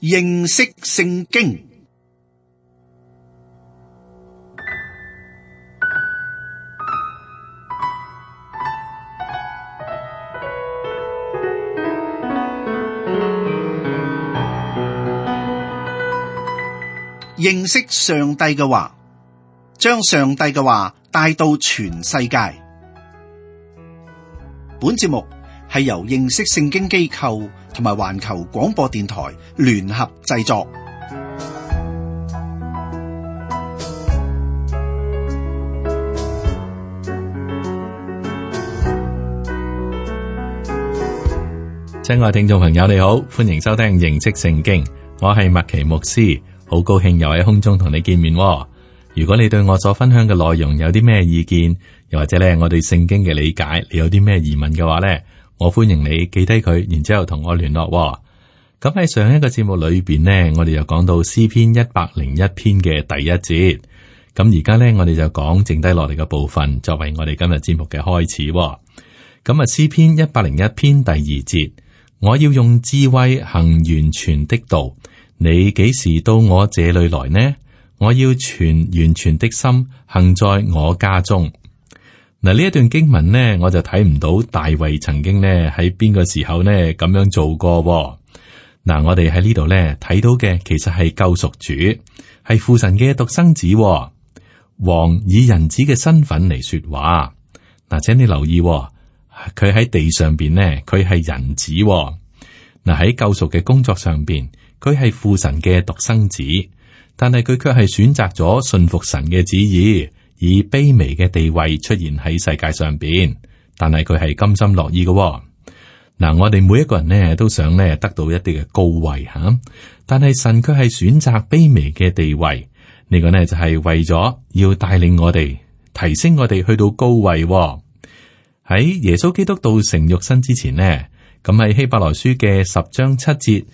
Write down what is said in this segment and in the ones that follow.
認識聖經。認識上帝嘅話，將上帝嘅話帶到全世界。本節目係由認識聖經機構同埋環球廣播電台聯合製作。親愛聽眾朋友，你好，歡迎收聽認識聖經，我係麥奇牧師。好高興又喺空中同你見面喎。如果你對我所分享嘅內容有啲咩意見，又或者咧我對聖經嘅理解，你有啲咩疑問嘅話咧，我歡迎你記低佢，然之後同我聯絡喎。咁喺上一個節目裏邊呢，我哋就講到詩篇101篇嘅第一節。咁而家咧，我哋就講剩低落嚟嘅部分，作為我哋今日節目嘅開始喎。咁啊，詩篇101篇第二節，我要用智慧行完全的道。你幾時到我這裏來呢？我要全完全的心行在我家中。嗱，呢一段經文呢，我就睇唔到大衛曾經呢喺邊個時候呢咁樣做過。嗱，我哋喺呢度呢睇到嘅其實係救贖主，係父神嘅獨生子。王以人子嘅身份嚟說話。嗱，請你留意，佢喺地上邊呢，佢係人子。嗱，喺救贖嘅工作上邊，佢係父神嘅獨生子，但係佢卻係選擇咗信服神嘅旨意，以卑微嘅地位出現喺世界上邊。但係佢係甘心樂意嘅。嗱，我哋每一個人呢都想呢得到一啲嘅高位吓，但係神卻係選擇卑微嘅地位。呢個呢就係為咗要帶領我哋提升我哋去到高位。喺耶穌基督道成肉身之前呢，咁喺希伯來書嘅10章7節。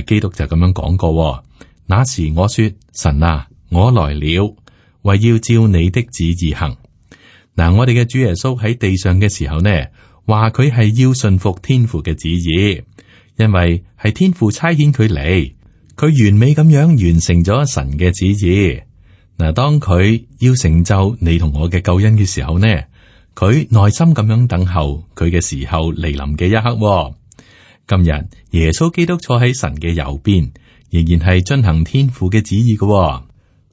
基督就咁樣講過，那時我說：神啊，我來了，為要照你的旨意行。嗱，我哋嘅主耶穌喺地上嘅時候呢，話佢係要順服天父嘅旨意，因為係天父差遣佢嚟，佢完美咁樣完成咗神嘅旨意。嗱，當佢要成就你同我嘅救恩嘅時候呢，佢耐心咁樣等候佢嘅時候嚟臨嘅一刻。今日耶穌基督坐喺神嘅右邊，仍然係遵行天父嘅旨意嘅。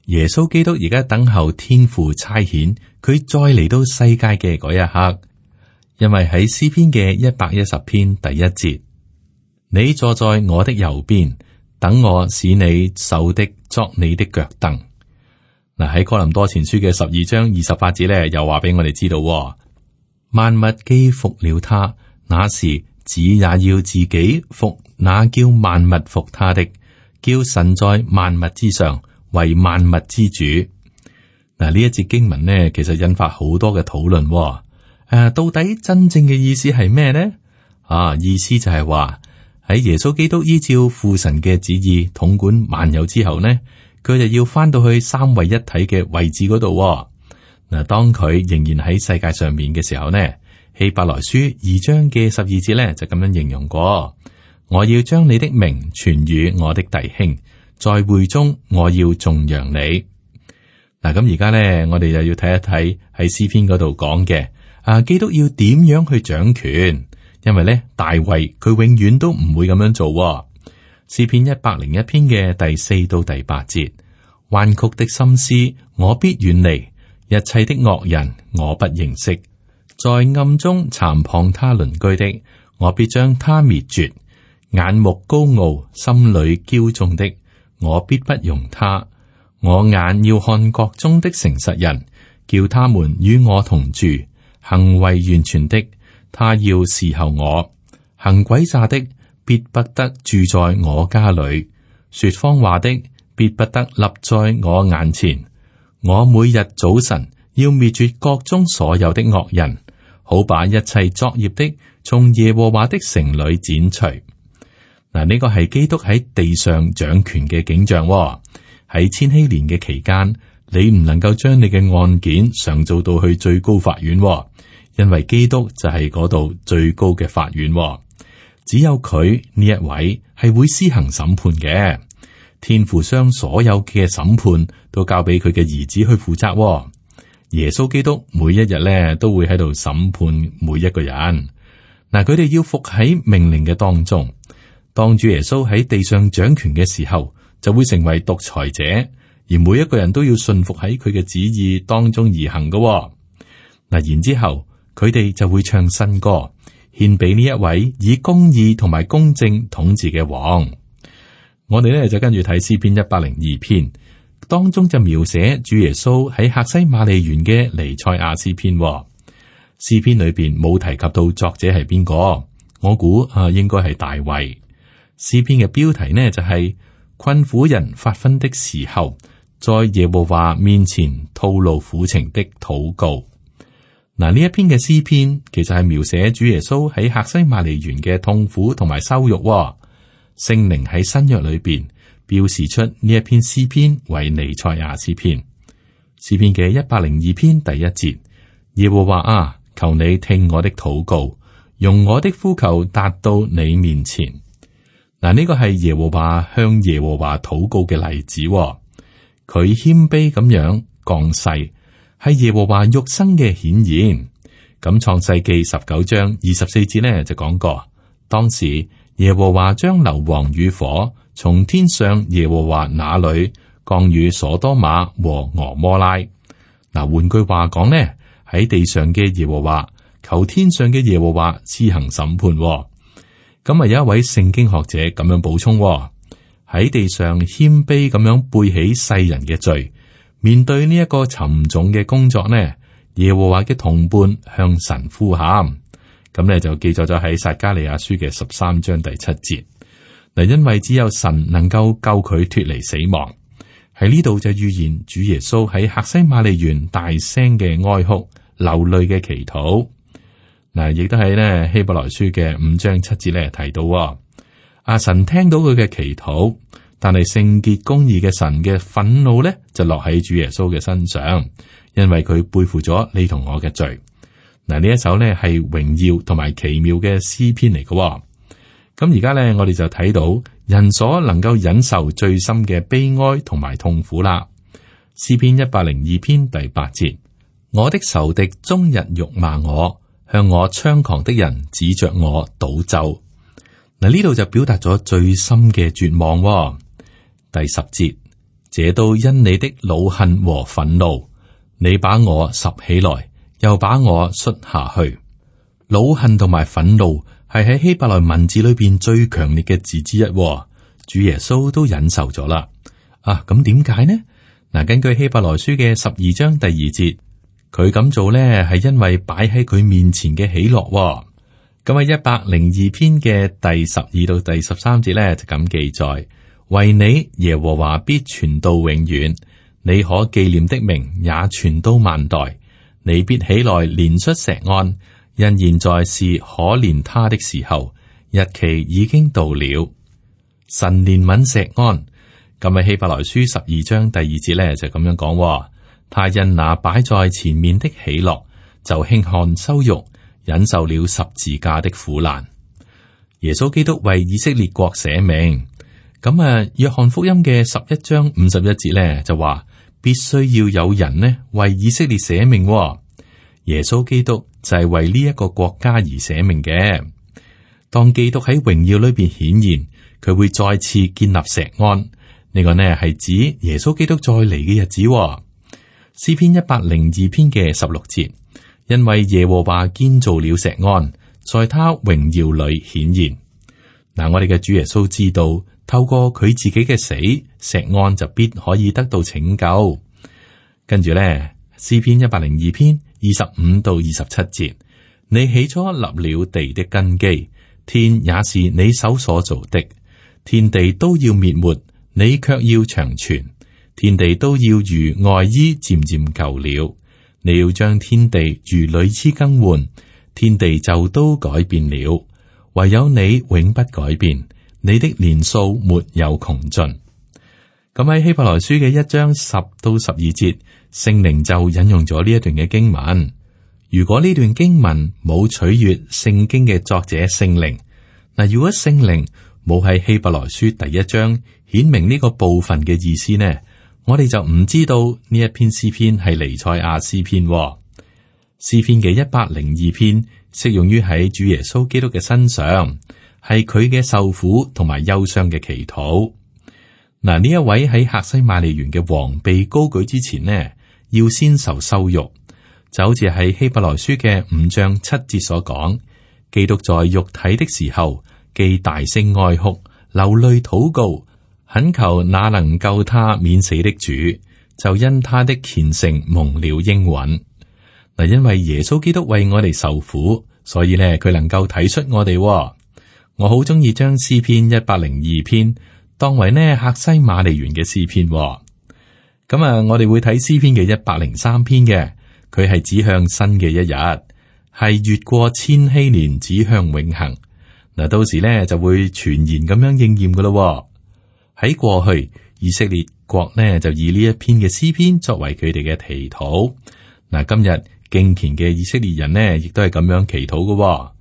耶穌基督而家等候天父差遣佢再嚟到世界嘅嗰一刻，因為喺詩篇嘅110篇第一節，你坐在我的右邊，等我使你手的作你的腳凳。嗱，喺哥林多前書嘅12章28節咧，又話俾我哋知道，萬物既服了他，那時子也要自己服那叫萬物服他的，叫神在萬物之上為萬物之主。嗱，呢一節經文呢，其實引發好多嘅討論。到底真正嘅意思係咩呢？意思就係話喺耶穌基督依照父神嘅旨意統管萬有之後呢，佢就要翻到去三位一體嘅位置嗰度。嗱，當佢仍然喺世界上面嘅時候呢，希伯來書2章嘅12節咧就咁樣形容過：我要將你的名傳與我的弟兄，在會中我要頌揚你。嗱，咁而家咧，我哋又要睇一睇喺詩篇嗰度講嘅，基督要點樣去掌權？因為咧，大衛佢永遠都唔會咁樣做。詩篇101篇嘅第4到第8節：彎曲的心思我必遠離，一切的惡人我不認識。在暗中讒謗他鄰居的，我必將他滅絕；眼目高傲、心裏驕縱的，我必不容他。我眼要看國中的誠實人，叫他們與我同住；行為完全的，他要伺候我；行詭詐的，必不得住在我家裏；說謊話的，必不得立在我眼前。我每日早晨要滅絕國中所有的惡人，好把一切作孽的從耶和華的城裏剪除。嗱，呢個係基督喺地上掌權嘅景象。喺千禧年嘅期間，你唔能夠將你嘅案件上訴到去最高法院，因為基督就係嗰度最高嘅法院。只有佢呢一位係會施行審判嘅。天父將所有嘅審判都交俾佢嘅兒子去負責。耶穌基督每一日咧都會喺度審判每一個人。嗱，佢哋要服喺命令嘅當中。當主耶穌喺地上掌權嘅時候，就會成為獨裁者，而每一個人都要順服喺佢嘅旨意當中而行嘅。嗱，然之後佢哋就會唱新歌，獻俾呢一位以公義同埋公正統治嘅王。我哋咧就跟住睇詩篇102篇，當中就描寫主耶穌喺客西馬尼園嘅彌賽亞詩篇。詩篇裏邊冇提及到作者係邊個，我估應該係大衛。詩篇嘅標題呢就係困苦人發昏的時候，在耶和華面前吐露苦情的禱告。嗱，呢一篇嘅詩篇其實係描寫主耶穌喺客西馬尼園嘅痛苦同埋羞辱。聖靈喺新約裏邊標示出呢一篇詩篇為彌賽亞詩篇。詩篇嘅102篇第1節，耶和華啊，求你聽我的禱告，用我的呼求達到你面前。嗱，呢個係耶和華向耶和華禱告嘅例子。佢謙卑咁樣降世，係耶和華肉身嘅顯現。咁創世記19章24節呢就講過，當時耶和華將硫磺與火從天上耶和華那裏降與所多瑪和俄摩拉。嗱，換句話講呢，喺地上嘅耶和華求天上嘅耶和華施行審判。咁啊，有一位聖經學者咁樣補充，喺地上謙卑咁樣背起世人嘅罪，面對呢一個沉重嘅工作呢，耶和華嘅同伴向神呼喊。咁咧就記載咗喺撒迦利亞書嘅13章第7節。嗱，因為只有神能夠救佢脫離死亡。喺呢度就預言主耶穌喺客西馬尼園大聲嘅哀哭、流淚嘅祈禱。嗱，亦都喺呢希伯來書嘅5章7節咧提到，阿神聽到佢嘅祈禱，但係聖潔公義嘅神嘅憤怒咧就落喺主耶穌嘅身上，因為佢背負咗你同我嘅罪。嗱，呢一首呢係榮耀同埋奇妙嘅詩篇嚟嘅。咁而家呢，我哋就睇到人所能夠忍受最深嘅悲哀同埋痛苦啦。詩篇102篇第8節，我的仇敵終日辱罵我，向我猖狂的人指着我賭咒。嗱，呢度就表達咗最深嘅絕望。第10節，這都因你的惱恨和憤怒，你把我拾起來，又把我摔下去。惱恨同埋憤怒係喺希伯來文字裏邊最強烈嘅字之一。主耶穌都忍受咗啦。咁點解呢？嗱，根據希伯來書嘅12章第2節，佢咁做呢係因為擺喺佢面前嘅喜樂。咁喺102篇嘅第12到第13節呢，就咁記載：為你耶和華必傳到永遠，你可紀念的名也傳到萬代。你必起來憐恤錫安，因現在是可憐他的時候，日期已經到了。神憐憫錫安。咁喺希伯來書12章第2節咧就咁樣講：他因那擺在前面的喜樂，就輕看羞辱，忍受了十字架的苦難。耶穌基督為以色列國捨命。咁約翰福音嘅11章51節咧就話，必須要有人呢為以色列捨命。耶穌基督就係為呢一個國家而捨命嘅。當基督喺榮耀裏邊顯現，佢會再次建立錫安。呢個呢係指耶穌基督再嚟嘅日子。詩篇102篇嘅16節，因為耶和華建造了錫安，在他榮耀裏顯現。嗱，我哋嘅主耶穌知道，透過佢自己嘅死，錫安就必可以得到拯救。跟住咧，詩篇102篇25到27節，你起初立了地的根基，天也是你手所造的，天地都要滅沒，你卻要長存。天地都要如外衣漸漸舊了，你要將天地如裡衣更換，天地就都改變了。唯有你永不改變，你的年數沒有窮盡。咁喺希伯來書嘅1章10到12節，聖靈就引用咗呢一段嘅經文。如果呢段經文冇取悅聖經嘅作者聖靈，嗱，如果聖靈冇喺希伯來書第一章顯明呢個部分嘅意思呢，我哋就唔知道呢一篇詩篇係彌賽亞詩篇。詩篇嘅102篇適用於喺主耶穌基督嘅身上，係佢嘅受苦同埋憂傷嘅祈禱。嗱，呢一位喺客西馬尼園嘅王被高舉之前呢，要先受羞辱，就好似喺希伯來書嘅5章7節所講，基督在肉體的時候，既大聲哀哭，流淚禱告，懇求那能救他免死的主，就因他的虔誠蒙了應允。嗱，因為耶穌基督為我哋受苦，所以咧佢能夠體恤我哋。我好中意將詩篇102篇當為呢客西馬尼園嘅詩篇。咁啊，我哋會睇詩篇嘅103篇嘅，佢係指向新嘅一日，係越過千禧年指向永恆。嗱，到時咧就會全然咁樣應驗噶咯。喺過去，以色列國呢就以呢一篇嘅詩篇作為佢哋嘅祈禱。嗱，今日敬虔嘅以色列人呢，亦都係咁樣祈禱噶。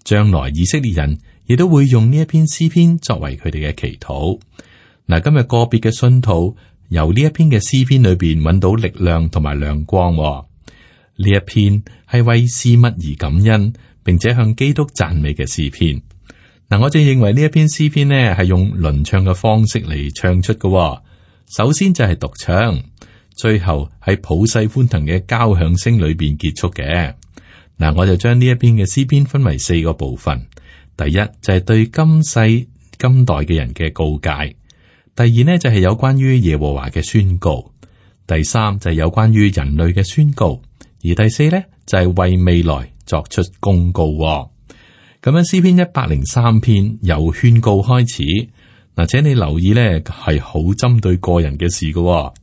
將來以色列人亦都會用呢一篇詩篇作為佢哋嘅祈禱。嗱，今日個別嘅信徒由呢一篇嘅詩篇裏邊揾到力量同埋亮光。呢一篇係為事物而感恩，並且向基督讚美嘅詩篇。嗱，我正認為呢一篇詩篇呢係用輪唱嘅方式嚟唱出嘅。首先就係獨唱，最後喺普世歡騰嘅交響聲裏邊結束嘅。嗱，我就將呢一篇嘅詩篇分為4個部分。第一就係對今世今代嘅人嘅告誡，第二呢就係有關於耶和華嘅宣告，第三就係有關於人類嘅宣告，而第四呢就係為未來作出公告。咁樣詩篇103篇由勸告開始，嗱，請你留意呢係好針對個人嘅事嘅。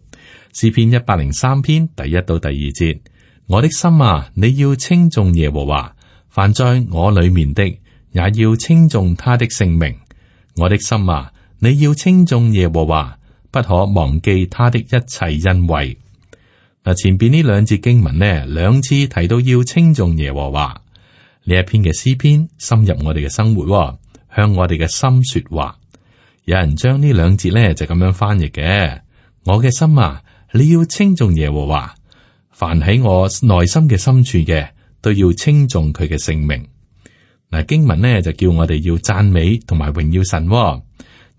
詩篇103篇第1到第2節，我的心啊，你要稱頌耶和華，凡在我裏面的，也要稱頌他的聖名。我的心啊，你要稱頌耶和華，不可忘記他的一切恩惠。嗱，前邊呢2節經文呢，2次提到要稱頌耶和華。呢一篇嘅詩篇深入我哋嘅生活，向我哋嘅心說話。有人將呢2節呢就咁樣翻譯嘅：我嘅心啊，你要稱頌耶和華，凡喺我內心嘅深處嘅，都要稱頌佢嘅聖名。嗱，經文呢就叫我哋要讚美同埋榮耀神。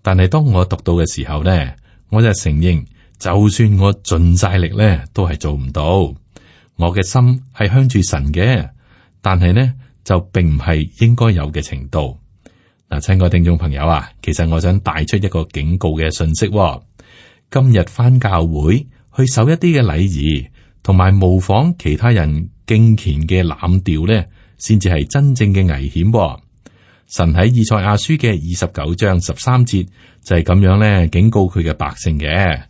但係當我讀到嘅時候呢，我就承認，就算我盡晒力呢，都係做唔到。我嘅心係向住神嘅，但係呢，就並唔係應該有嘅程度。嗱，親愛聽眾朋友啊，其實我想帶出一個警告嘅信息。今日返教會去守一啲嘅禮儀，同埋模仿其他人敬虔嘅濫調呢，先至係真正嘅危險。神喺以賽亞書嘅29章13節就係咁樣咧警告佢嘅百姓嘅。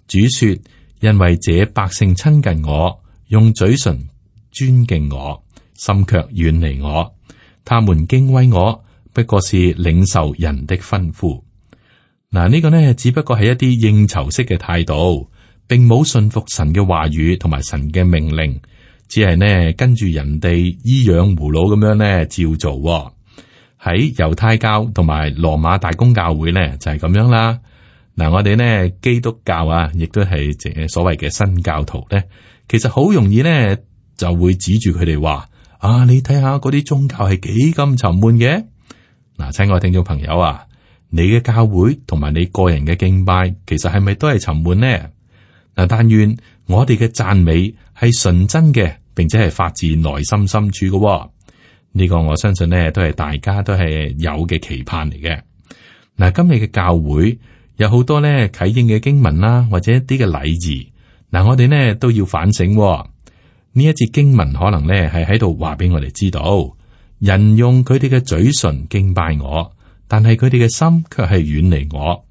主說：因為這百姓親近我，用嘴唇尊敬我，心卻遠離我。他們敬畏我，不過是領受人的吩咐。嗱，呢個呢，只不過係一啲應酬式嘅態度，並冇信服神嘅話語同埋神嘅命令，只係呢跟住人哋依樣葫蘆咁樣呢照做。喺猶太教同埋羅馬大公教會呢，就係咁樣啦。嗱，我哋呢基督教啊，亦都係所謂嘅新教徒呢，其實好容易呢就會指住佢哋話：啊，你睇下嗰啲宗教係幾咁沉悶嘅。嗱，親愛聽眾朋友啊，你嘅教會同埋你個人嘅敬拜，其實係咪都係沉悶呢？嗱，但願我哋嘅讚美係純真嘅，並且係發自內心深處嘅。呢個我相信呢，都係大家都係有嘅期盼嚟嘅。嗱，今日嘅教會有好多呢啟應嘅經文啦，或者一啲嘅禮儀。嗱，我哋呢都要反省。呢一節經文可能呢係喺度話俾我哋知道，人用佢哋嘅嘴唇敬拜我，但係佢哋嘅心卻係遠離我。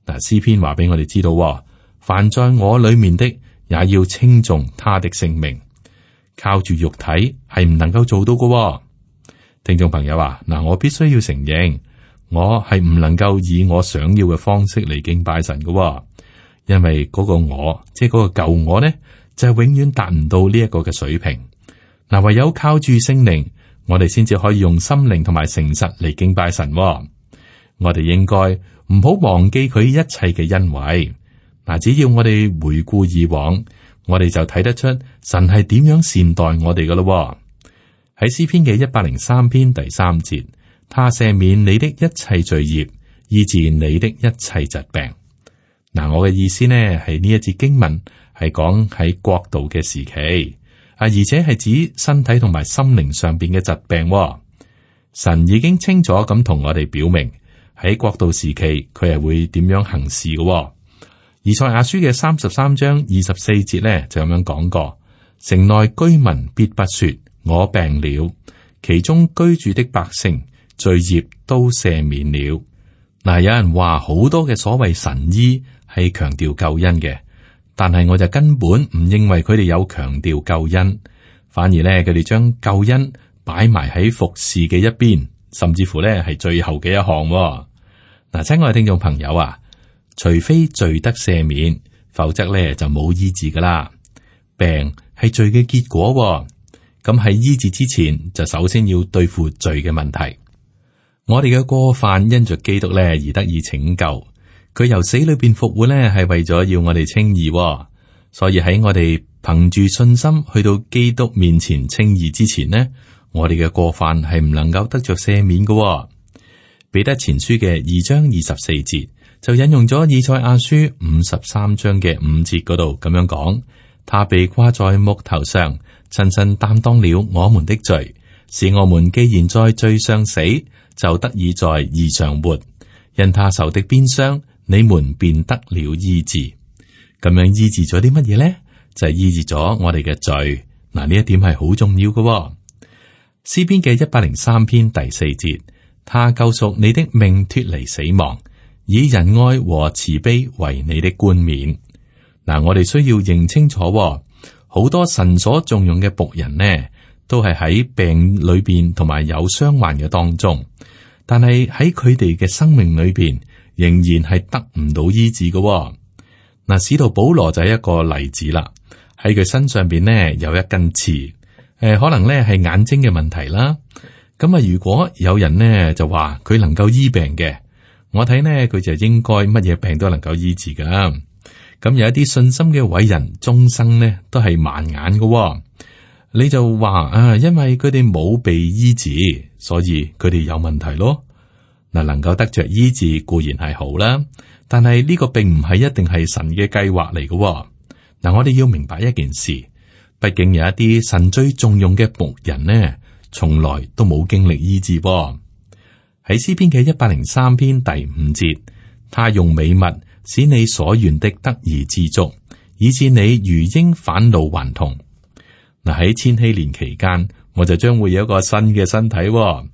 嗱，詩篇話俾我哋知道，凡在我裏面的，也要稱頌他的聖名。靠住肉體係唔能夠做到嘅。聽眾朋友啊，嗱，我必須要承認，我係唔能夠以我想要嘅方式嚟敬拜神嘅，因為嗰個我，即係嗰個舊我呢，就係永遠達唔到呢一個嘅水平。嗱，唯有靠住聖靈，我哋先至可以用心靈同埋誠實嚟敬拜神。我哋應該唔好忘記佢一切嘅恩惠。嗱，只要我哋回顧以往，我哋就睇得出神係點樣善待我哋噶咯。喺詩篇嘅103篇第3節，他赦免你的一切罪孽，醫治你的一切疾病。嗱，我嘅意思呢係呢一節經文係講喺國度嘅時期，而且係指身體同埋心靈上邊嘅疾病。神已經清楚咁同我哋表明喺國度時期佢係會點樣行事嘅。以賽亞書嘅33章24節呢就咁樣講過：城內居民必不說我病了，其中居住的百姓罪孽都赦免了。嗱，有人話好多嘅所謂神醫係強調救恩嘅，但係我就根本唔認為佢哋有強調救恩，反而咧佢哋將救恩擺埋喺服侍嘅一邊，甚至乎咧係最後嘅一項。嗱，親愛嘅聽眾朋友啊，除非罪得赦免，否則咧就冇醫治噶啦。病係罪嘅結果，咁喺醫治之前就首先要對付罪嘅問題。我哋嘅過犯因着基督咧而得以拯救，佢由死裏邊復活咧係為咗要我哋稱義，所以喺我哋憑住信心去到基督面前稱義之前呢，我哋嘅過犯係唔能夠得着赦免嘅。彼得前書嘅2章24節就引用咗以賽亞書53章嘅5節嗰度咁樣講：他被掛在木頭上，親身擔當了我們的罪，使我們既然在罪上死，就得以在義上活。因他受的鞭傷，你們便得了醫治。咁樣醫治咗啲乜嘢呢？就係醫治咗我哋嘅罪。嗱，呢一點係好重要嘅。詩篇嘅103篇第4節，他救贖你的命脫離死亡，以仁愛和慈悲為你的冠冕。嗱，我哋需要認清楚，好多神所重用嘅僕人呢，都係喺病裏邊同埋有傷患嘅當中，但係喺佢哋嘅生命裏邊，仍然係得唔到醫治嘅。嗱，使徒保羅就係一個例子啦。喺佢身上邊呢有一根刺，可能呢係眼睛嘅問題啦。咁啊，如果有人呢就話佢能夠醫病嘅，我睇呢佢就應該乜嘢病都能夠醫治噶。咁有一啲信心嘅偉人，終生呢都係盲眼嘅。你就話啊，因為佢哋冇被醫治，所以佢哋有問題咯。嗱，能夠得着醫治固然係好啦，但係呢個並唔係一定係神嘅計劃嚟嘅。嗱，我哋要明白一件事，畢竟有一啲神最重用嘅僕人呢，從來都冇經歷醫治噃。喺詩篇嘅103篇第5節，他用美物使你所願的得以知足，以致你如鷹返老還童。嗱，喺千禧年期間，我就將會有一個新嘅身體。嗱，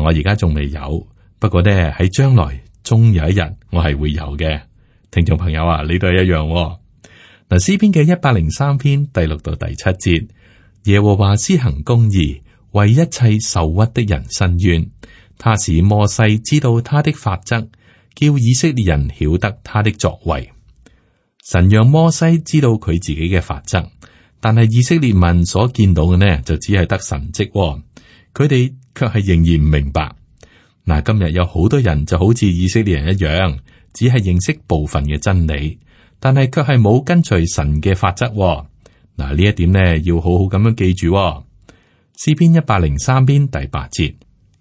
我而家仲未有，不過呢喺將來終有一日我係會有嘅。聽眾朋友啊，你都係一樣。嗱，詩篇嘅103篇第6到第7節，耶和華施行公義，為一切受屈的人伸冤。他使摩西知道他的法則，叫以色列人曉得他的作為。神讓摩西知道佢自己嘅法則，但係以色列民所見到嘅呢，就只係得神蹟，佢哋卻係仍然唔明白。嗱，今日有好多人就好似以色列人一樣，只係認識部分嘅真理，但係卻係冇跟隨神嘅法則。嗱，呢一點呢，要好好咁樣記住。詩篇103篇第8節，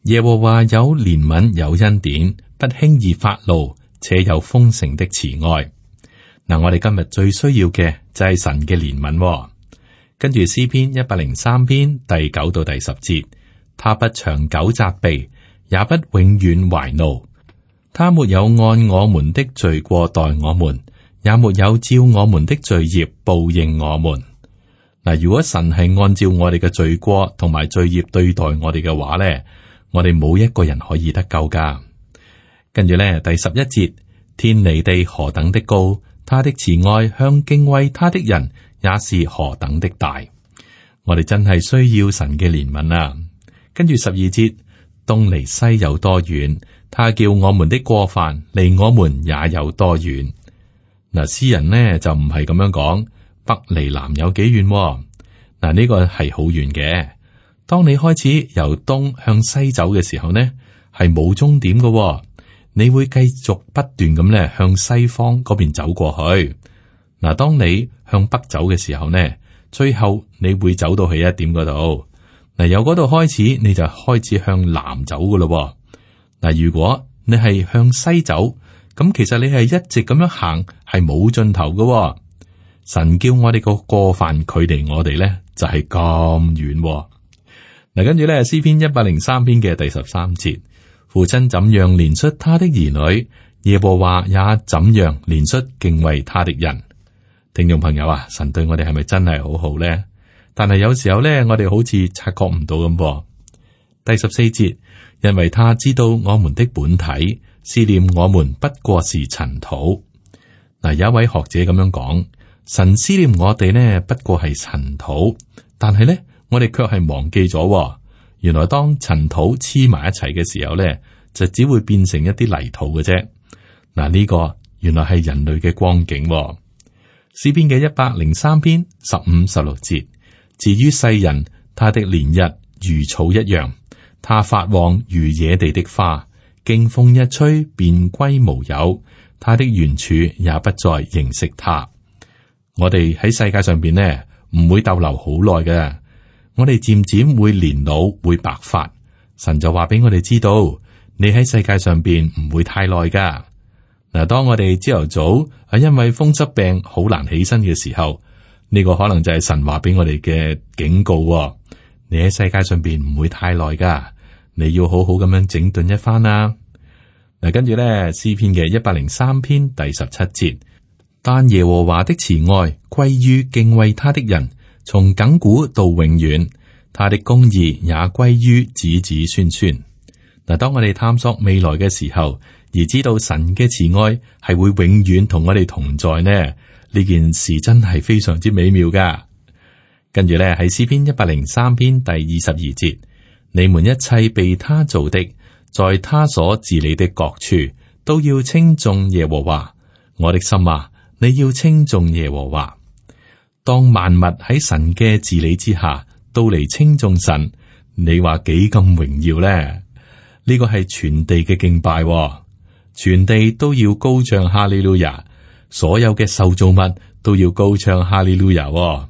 耶和華有憐憫有恩典，不輕易發怒，且有豐盛的慈愛。嗱，我哋今日最需要嘅就係神嘅憐憫。跟住詩篇103篇第9到第10節，他不長久責備，也不永遠懷怒。他沒有按我們的罪過待我們，也沒有照我們的罪孽報應我們。嗱，如果神係按照我哋嘅罪過同埋罪孽對待我哋嘅話咧，我哋冇一個人可以得救噶。跟住咧，第11節，天離地何等的高，他的慈愛向敬畏他的人也是何等的大。我哋真係需要神嘅憐憫啊！跟住12節，東離西有多遠，他叫我們的過犯離我們也有多遠。嗱，詩人呢就唔係咁樣講，北離南有幾遠？嗱，呢個係好遠嘅。當你開始由東向西走嘅時候呢，係冇終點嘅，你會繼續不斷咁咧向西方嗰邊走過去。嗱，當你向北走嘅時候呢，最後你會走到去一點嗰度。嗱，由嗰度開始，你就開始向南走噶咯。嗱，如果你係向西走，咁其實你係一直咁樣行，係冇盡頭噶。神叫我哋個過犯距離我哋咧，就係咁遠。嗱，跟住咧詩篇103篇嘅第13節。父親怎樣憐恤他的兒女，耶和華也怎樣憐恤敬畏他的人。聽眾朋友啊，神對我哋係咪真係好好呢？但係有時候呢，我哋好似察覺唔到咁。第14節，因為他知道我們的本體，思念我們不過是塵土。嗱，有一位學者咁樣講，神思念我哋呢，不過係塵土，但係呢，我哋卻係忘記咗。原來當塵土黐埋一齊嘅時候咧，就只會變成一啲泥土嘅啫。嗱，呢個原來係人類嘅光景。詩篇嘅103篇15、16節，至於世人，他的年日如草一樣，他發旺如野地的花，經風一吹便歸無有，他的原處也不再認識他。我哋喺世界上邊呢，唔會逗留好耐嘅。我哋漸漸會年老，會白髮。神就話俾我哋知道，你喺世界上邊唔會太耐噶。嗱，當我哋朝頭早係因為風濕病好難起身嘅時候，呢個可能就係神話俾我哋嘅警告。你喺世界上邊唔會太耐噶，你要好好咁樣整頓一番啦。嗱，跟住咧詩篇嘅103篇第17節，但耶和華的慈愛歸於敬畏他的人，從亙古到永遠，他的公義也歸於子子孫孫。嗱，當我哋探索未來嘅時候，而知道神嘅慈愛係會永遠同我哋同在呢，呢件事真係非常之美妙噶。跟住咧喺詩篇103篇第22節，你們一切被他造的，在他所治理的各處，都要稱頌耶和華。我的心啊，你要稱頌耶和華。當萬物喺神嘅治理之下，都嚟稱頌神，你話幾咁榮耀呢？呢個係全地嘅敬拜，全地都要高唱哈利路亞，所有嘅受造物都要高唱哈利路亞。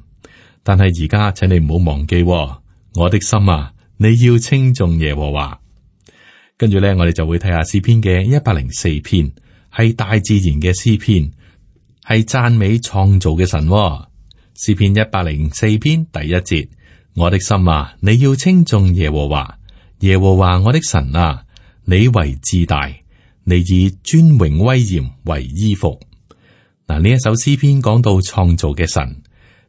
但係而家，請你唔好忘記，我的心啊，你要稱頌耶和華。跟住咧，我哋就會睇下詩篇嘅104篇，係大自然嘅詩篇，係讚美創造嘅神。詩篇104篇第1節，我的心啊，你要稱頌耶和華，耶和華我的神啊，你為至大，你以尊榮威嚴為衣服。嗱，呢一首詩篇講到創造嘅神，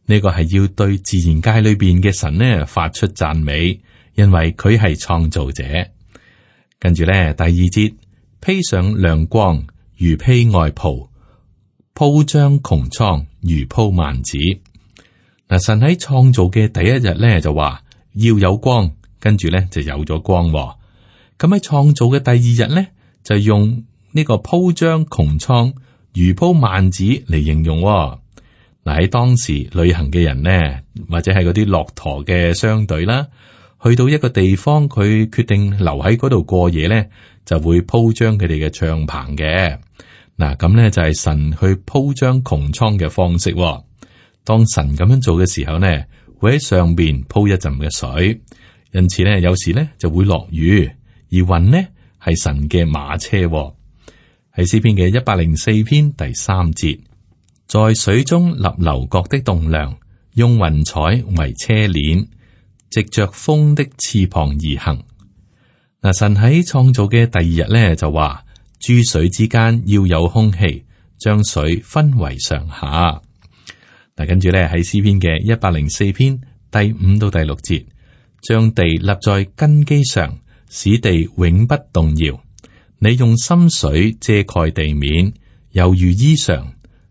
呢個係要對自然界裏邊嘅神呢發出讚美，因為佢係創造者。跟住咧第2節，披上亮光如披外袍，鋪張穹蒼如鋪幔子。嗱，神喺創造嘅第一日咧就話要有光，跟住咧就有咗光。咁喺創造嘅第2日咧就用呢個鋪張穹蒼如鋪幔子嚟形容。嗱，喺當時旅行嘅人呢，或者係嗰啲駱駝嘅商隊啦，去到一個地方，佢決定留喺嗰度過夜咧，就會鋪張佢哋嘅帳篷嘅。嗱，咁咧就係神去鋪張穹蒼嘅方式。當神咁樣做嘅時候呢，會喺上邊鋪一陣嘅水，因此呢，有時呢就會落雨，而雲呢係神嘅馬車。喺詩篇嘅104篇第3節，在水中立樓閣的棟梁，用雲彩為車鏈，藉着風的翅膀而行。嗱，神喺創造嘅第2日呢，就話，諸水之間要有空氣，將水分為上下。嗱，跟住咧喺詩篇嘅104篇第5到第6節，將地立在根基上，使地永不動搖。你用深水遮蓋地面，猶如衣裳，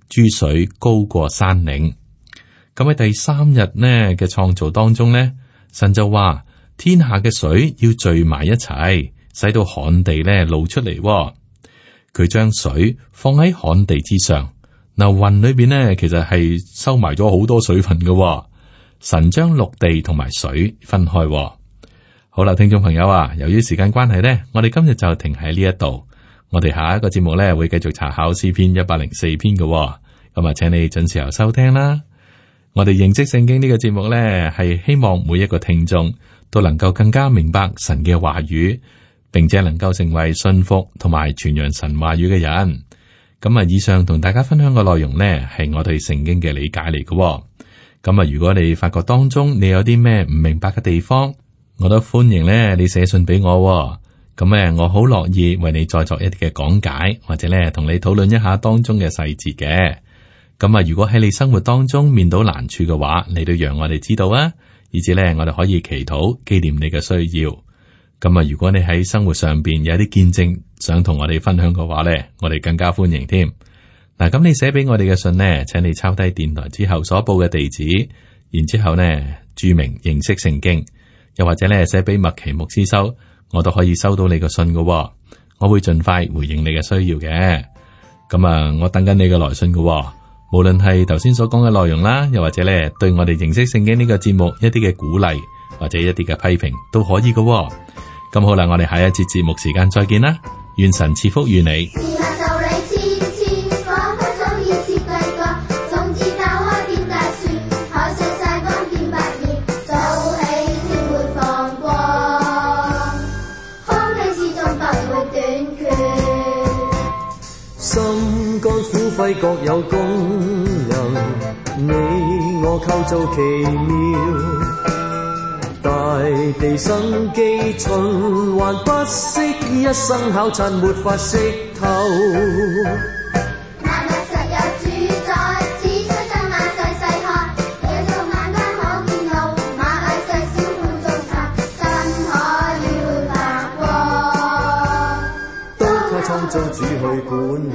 諸水高過山嶺。咁喺第3日呢嘅創造當中呢，神就話天下嘅水要聚埋一齊，使到旱地咧露出嚟。佢將水放喺旱地之上。嗱，雲裏邊呢，其實係收埋咗好多水分嘅。神將陸地同埋水分開。好啦，聽眾朋友啊，由於時間關係呢，我哋今日就停喺呢一度。我哋下一個節目呢，會繼續查考詩篇104篇嘅，咁啊，請你準時收聽啦。我哋認識聖經呢個節目呢，係希望每一個聽眾都能夠更加明白神嘅話語，並且能夠成為信服同埋傳揚神話語嘅人。咁啊，以上同大家分享嘅內容呢，係我對聖經嘅理解嚟嘅。咁啊，如果你發覺當中你有啲咩唔明白嘅地方，我都歡迎咧你寫信俾我。咁我好樂意為你再作一啲嘅講解，或者咧同你討論一下當中嘅細節嘅。咁啊，如果喺你生活當中面到難處嘅話，你都讓我哋知道啊，以至咧我哋可以祈禱紀念你嘅需要。咁啊，如果你喺生活上邊有啲見證想同我哋分享嘅話咧，我哋更加歡迎添。嗱，咁你寫俾我哋嘅信呢，請你抄低電台之後所報嘅地址，然之後呢注明認識聖經，又或者咧寫俾麥奇牧師收，我都可以收到你嘅信嘅。我會盡快回應你嘅需要嘅。咁啊，我等緊你嘅來信嘅。無論係頭先所講嘅內容啦，又或者咧對我哋認識聖經呢個節目一啲嘅鼓勵，或者一啲嘅批評都可以嘅。咁好啦，我哋下一節節目時間再見啦，願神賜福與你。心肝苦肺各有功能，你我構造奇妙。大地生機循環不息，一生考察沒法識透。萬物實有主宰，只需將眼細細看，野獸眼間可見路，螞蟻細小碗中茶，真可了白光。都靠創造主去管理。